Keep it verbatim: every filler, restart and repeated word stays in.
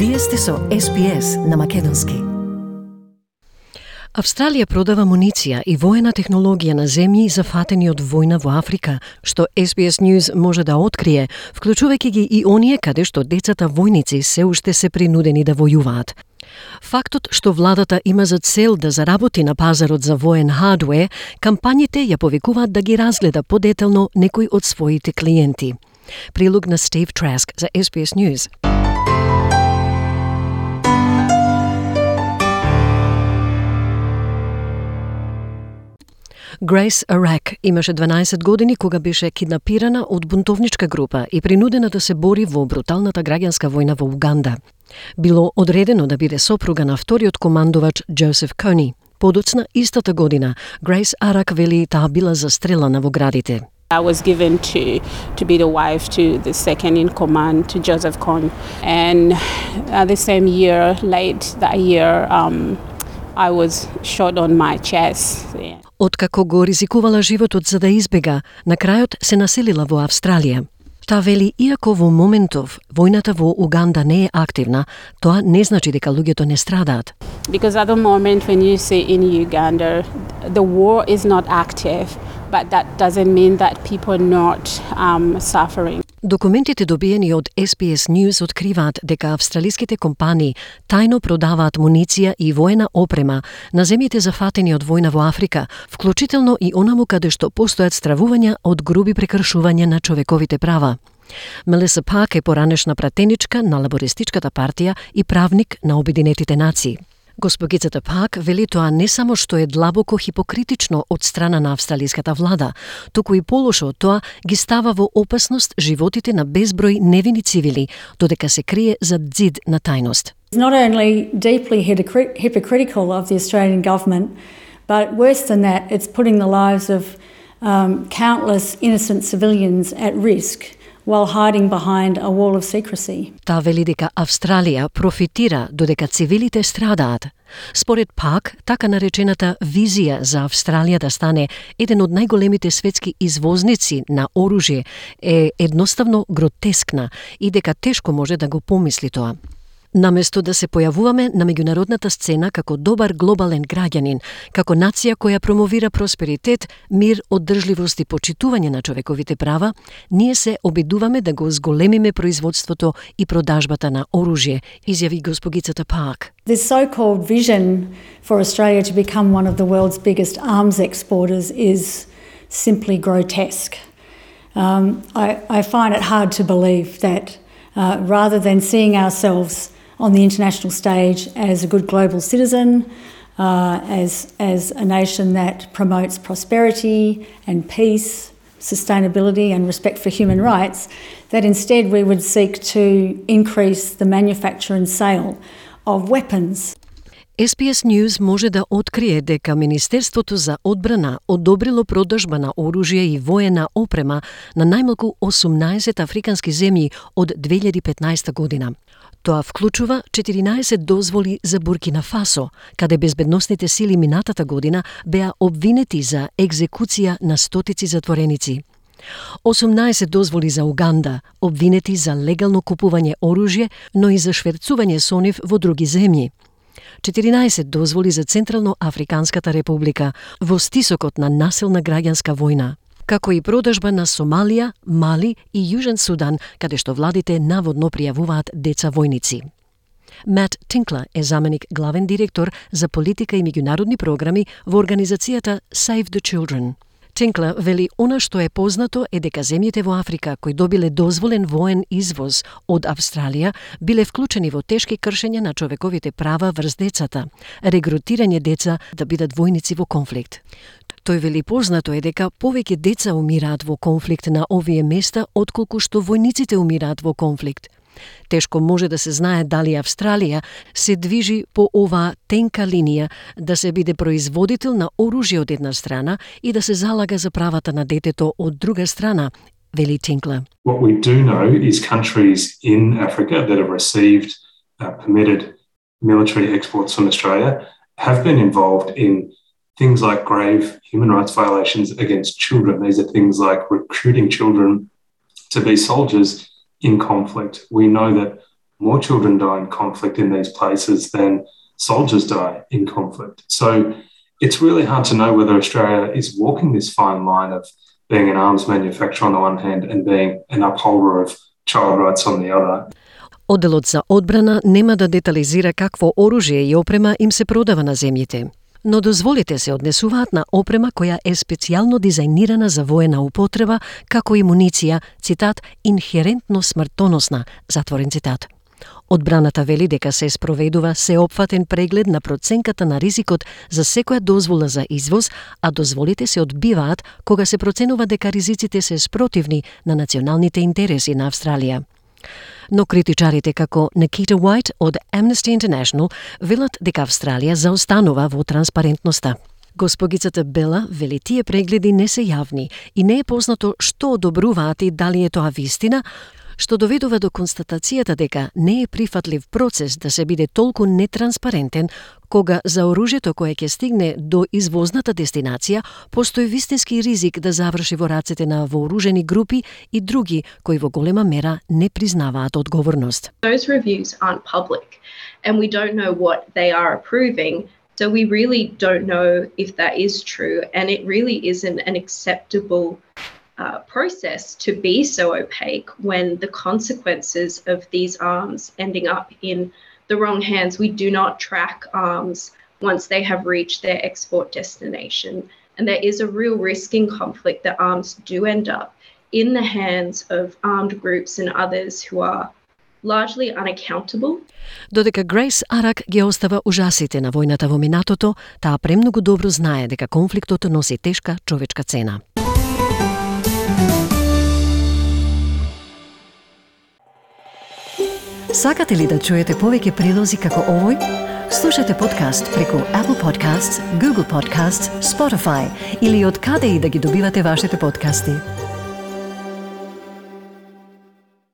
Вие сте со Ес Би Ес на македонски. Австралија продава муниција и воена технологија на земји зафатени од војна во Африка, што Ес Би Ес News може да открие, вклучувајќи ги и оние каде што децата војници се уште се принудени да војуваат. Фактот што владата има за цел да заработи на пазарот за воен хардвер, кампањите ја повикуваат да ги разгледа подетелно некои од своите клиенти. Прилог на Стив Траск за Ес Би Ес News. Грейс Арак имаше дванаесет години кога беше киднапирана од бунтовничка група и принудена да се бори во бруталната граѓанска војна во Уганда. Било одредено да биде сопруга на вториот командувач Джозеф Кони. Подоцна истата година, Грейс Арак вели таа била застрелана во градите. I was given to to be the wife to the second in command, to Joseph Kony. And uh, the same year, late that year, um, I was shot on my chest. Yeah. Откако го ризикувала животот за да избега, на крајот се населила во Австралија. Таа вели, иако во моментов војната во Уганда не е активна, тоа не значи дека луѓето не страдаат. Because at the moment when you see in Uganda, the war is not active, but that doesn't mean that people are not um, suffering. Документите добиени од Ес Би Ес News откриваат дека австралиските компании тајно продаваат муниција и воена опрема на земјите зафатени од војна во Африка, вклучително и онаму каде што постојат стравувања од груби прекршувања на човековите права. Мелиса Пак е поранешна пратеничка на Лабористичката партија и правник на Обединетите нации. Госпогицата Пак вели тоа не само што е длабоко хипокритично од страна на австралиската влада, туку и полошо од тоа ги става во опасност животите на безброј невини цивили, додека се крие зад ѕид на тајност. It's not only deeply hypocritical of the Australian government, but worse than that, it's putting the lives of um, countless innocent civilians at risk while hiding behind a wall of secrecy. Таа вели дека Австралија профитира додека цивилите страдаат. Според Пак, така наречената визија за Австралија да стане еден од најголемите светски извозници на оружје е едноставно гротескна и дека тешко може да го помисли тоа. Наместо да се појавуваме на меѓународната сцена како добар глобален граѓанин, како нација која промовира просперитет, мир, оддржливост и почитување на човековите права, ние се обидуваме да го зголемиме производството и продажбата на оружје, изјави госпогицата Пак. This so-called vision for Australia to become one of the world's biggest arms exporters is simply grotesque. Um, I, I find it hard to believe that uh, rather than seeing ourselves on the international stage as a good global citizen, uh, as, as a nation that promotes prosperity and peace, sustainability and respect for human rights, that instead we would seek to increase the manufacture and sale of weapons. Ес Би Ес News може да открие дека Министерството за одбрана одобрило продажба на оружје и воена опрема на најмалку осумнаесет африкански земји од две илјади и петнаесета година. Тоа вклучува четиринаесет дозволи за Буркина Фасо, каде безбедносните сили минатата година беа обвинети за екзекуција на стотици затвореници. осумнаесет дозволи за Уганда, обвинети за легално купување оружје, но и за шверцување со нив во други земји. четиринаесет дозволи за Централно Африканската република во стисокот на насилна граѓанска војна, како и продажба на Сомалија, Мали и Јужен Судан, каде што владите наводно пријавуваат деца војници. Мат Тинклер е заменик главен директор за политика и меѓународни програми во организацијата Save the Children. Тинклер вели она што е познато е дека земјите во Африка кои добиле дозволен воен извоз од Австралија биле вклучени во тешки кршења на човековите права врз децата, регрутирање деца да бидат војници во конфликт. Тој вели познато е дека повеќе деца умираат во конфликт на овие места отколку што војниците умираат во конфликт. Тешко може да се знае дали Австралија се движи по оваа тенка линија да се биде производител на оружје од една страна и да се залага за правата на детето од друга страна, вели Тинклер. What we do know is countries in Africa that have received uh, permitted military exports from Australia have been involved in things like grave human rights violations against children. These are things like recruiting children to be soldiers in conflict. We know that more children die in conflict in these places than soldiers die in conflict. So it's really hard to know whether Australia is walking this fine line of being an arms manufacturer on the one hand and being an upholder of child rights on the other. Одделот за одбрана нема да детализира какво оружје и опрема им се продава на земјите. Но дозволите се однесуваат на опрема која е специјално дизајнирана за воена употреба, како и муниција, цитат, инхерентно смртоносна, затворен цитат. Одбраната вели дека се спроведува сеопфатен преглед на проценката на ризикот за секоја дозвола за извоз, а дозволите се одбиваат кога се проценува дека ризиците се спротивни на националните интереси на Австралија. Но критичарите како Nikita White од Amnesty International велат дека Австралија заостанува во транспарентноста. Госпогицата Бела вели тие прегледи не се јавни и не е познато што одобруваат и дали е тоа вистина, што доведува до констатацијата дека не е прифатлив процес да се биде толку нетранспарентен кога за оружјето кое ќе стигне до извозната дестинација постои вистински ризик да заврши во рацете на вооружени групи и други кои во голема мера не признаваат одговорност. Those reviews aren't public and we don't know what they are approving, so we really don't know if that is true, and it really isn't an acceptable Uh, process to be so opaque when the consequences of these arms ending up in the wrong hands. We do not track arms once they have reached their export destination, and there is a real risk in conflict that arms do end up in the hands of armed groups and others who are largely unaccountable. Додека Грейс Арак ги остава ужасите на војната во минатото, таа премногу добро знае дека конфликтот носи тешка човечка цена. Сакате ли да чуете повеќе прилози како овој? Слушате подкаст преку Apple Podcasts, Google Podcasts, Spotify или од каде и да ги добивате вашите подкасти.